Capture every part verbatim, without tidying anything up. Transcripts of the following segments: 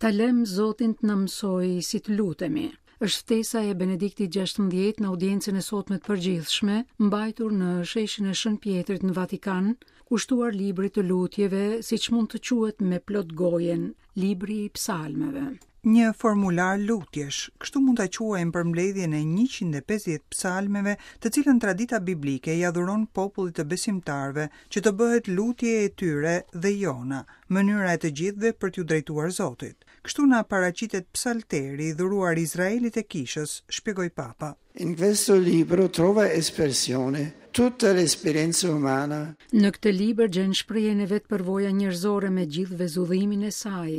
Ta lëm Zotin të na mësojë si të lutemi. Është ftesa e Benediktit gjashtëmbëdhjetë në audiencën e sotme të përgjithshme, mbajtur në sheshin e Shën Pjetrit në Vatikan, kushtuar librit të lutjeve, siç mund të quhet me plot gojen, libri i psalmeve. Një formular lutjesh, kështu mund ta quajmë përmbledhjen e njëqind e pesëdhjetë psalmeve, të cilën tradita biblike ia dhuron popullit të besimtarëve, që të bëhet lutje e tyre dhe jona, mënyra e të gjithëve për t'ju drejtuar Zotit. Kështu na paraqitet psalteri i dhuruar Izraelit e Kishës, shpjegoi Papa. In questo libro trova espressione tutta l'esperienza umana. Në këtë libër gjen shprehjen e vet përvoja njerëzore me gjithë vezullimin e saj,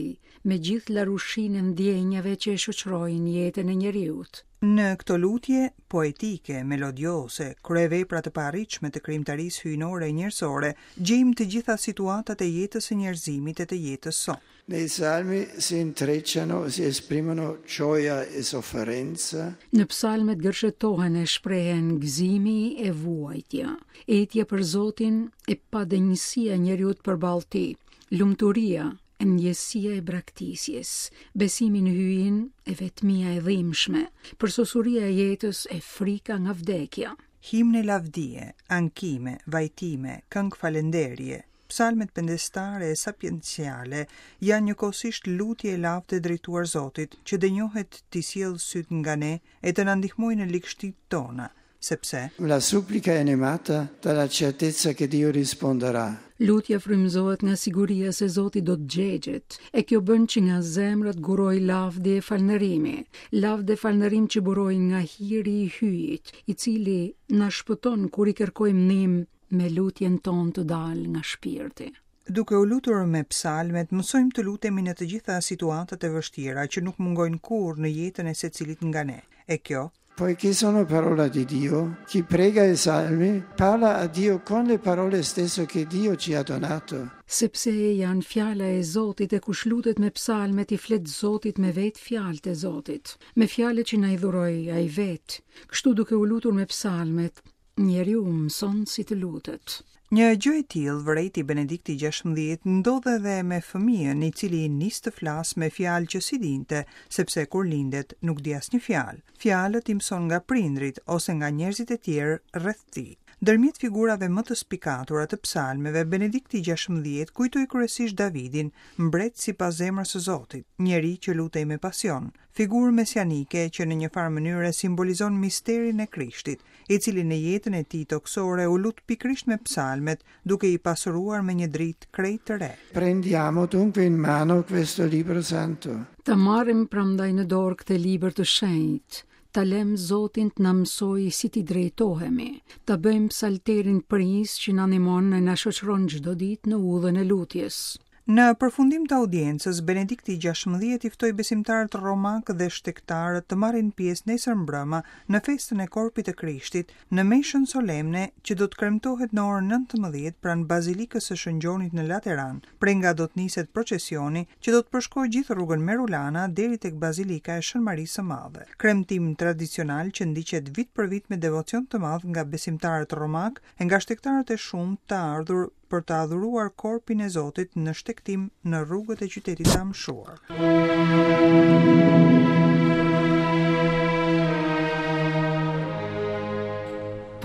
me gjithë larushinë e ndjenjave që e shoqërojnë jetën e njeriut. Në këto lutje poetike, melodiose, kryevepra të paarritshme të krijimtarisë hyjnore e njerëzore, gjejmë të gjitha situatat e jetës së njerëzimit e të jetës sonë. Nei salmi si intrecciano, si esprimono gioia e sofferenza. Në psalmet gërshetohen e shprehen gëzimi e vuajtja, etja për Zotin e padenjësia e njeriut përballë tij, lumturia e ndjesia e braktisjes, besimi në hyjin e vetmia e dhimbshme, përsosuria e jetës e frika nga vdekja. Himne lavdie, ankime, vajtime, këngë falenderje, psalmet pendestare e sapienciale janë njëkohësisht lutje e lavde drejtuar Zotit, që denjohet t'i sjellë syt nga ne e të na ndihmojë në ligështitë tona, sepse la supplica è animata dalla certezza che Dio risponderà. Lutja frymëzohet nga siguria se Zoti do të gjegjet, e kjo bën që nga zemra të guroj lavdi e falënderimi, lavdi e falënderim që burojnë nga hiri i hyjit, i cili na shpëton kur i kërkojmë ndihmë me lutjen tonë të dalë nga shpirti. Duke u lutur me psalmet, mësojmë të lutemi në të gjitha situatat e vështira që nuk mungojnë kurrë në jetën e secilit nga ne. E kjo, Poiché sono parola di Dio, chi prega i salmi parla a Dio con le parole stesse che Dio ci ha donato. Sepse janë fjala e Zotit e kush lutet me psalmet i flet Zotit me vetë fjalët e Zotit, me fjalët që na i dhuroi ai vetë. Kështu duke u lutur me psalmet, njeriu mëson si të lutet. Një gjë e tillë, vërejti Benedikti gjashtëmbëdhjetë, ndodh edhe me fëmijën, i cili nis të flas me fjalë që si dinte, sepse kur lindet nuk di asnjë fjalë. Fjalët i mëson nga prindrit ose nga njerëzit e tjerë rreth tij. Ndërmjet figurave më të spikatura të psalmeve, Benedikti gjashtëmbëdhjetë kujtoi kryesisht Davidin, mbret sipas zemrës së Zotit, njeri që lutej me pasion, figurë mesianike që në një farë mënyre simbolizon misterin e Krishtit, i cili në jetën e tij tokësore u lut pikërisht me psalmet, duke i pasuruar me një dritë krejt të re. Prendiamo dunque in mano questo libro santo. Ta marrim prandaj në dorë këtë libër të shenjtë, ta lëm Zotin të na mësojë si t'i drejtohemi, ta bëjmë psalterin prijës që na ndihmon e na shoqëron çdo ditë në udhën e lutjes. Në përfundim të audiencës, Benedikti gjashtëmbëdhjetë i ftoi besimtarët romak dhe shtegtarët të marrin pjesë nesër mbrëma në festën e Korpit të Krishtit, në meshën solemne që do të kremtohet në orën nëntëmbëdhjetë pranë Bazilikës së Shën Gjonit në Lateran, prej nga do të niset procesioni që do të përshkojë gjithë rrugën Merulana deri tek Bazilika e Shën Marisë së Madhe. Kremtim tradicional që ndiqet vit për vit me devocion të madh nga besimtarët romak e nga shtegtarët e shumtë të ardhur për të adhuruar korpin e Zotit në shtegtim në rrugët e qytetit të amshuar.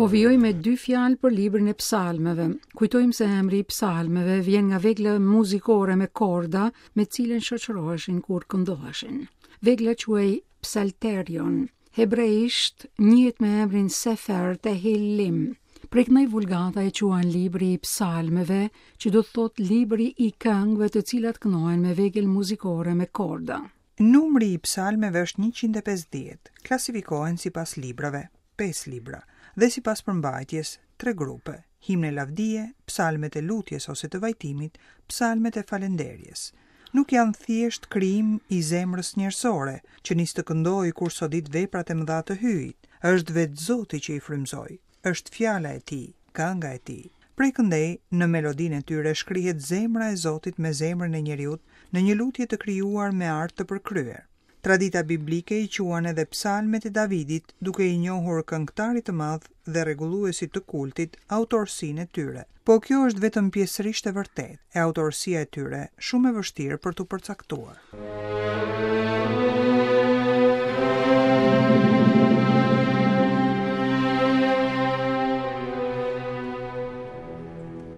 Po vijoj me dy fjalë për librin e psalmeve. Kujtojmë se emri i psalmeve vjen nga vegla muzikore me korda me cilën shoqëroheshin kur këndoheshin. Vegla quhej psalterion. Hebreisht njihet me emrin Sefer Tehillim. Prej këndej vulgata e quan libri i psalmeve, që do të thotë libri i këngëve të cilat këndohen me vegël muzikore me korda. Numri i psalmeve është njëqind e pesëdhjetë, klasifikohen sipas librave, pesë libra, dhe sipas përmbajtjes, tre grupe, himne lavdie, psalmet e lutjes ose të vajtimit, psalmet e falënderjes. Nuk janë thjesht krijim i zemrës njerëzore, që nis të këndojë kur sodit veprat e mëdha të hyjit, është vetë Zoti që i frymëzoi. Është fjala e tij, kënga e tij. Prej këndej, në melodinë e tyre shkrihet zemra e Zotit me zemrën e njeriut në një lutje të krijuar me art të përkryer. Tradita biblike i quan edhe psalmet e Davidit, duke i njohur këngëtarit të madh dhe rregulluesit të kultit autorsinë e tyre. Po kjo është vetëm pjesërisht e vërtetë, e autorsia e tyre shumë e vështirë për t'u përcaktuar.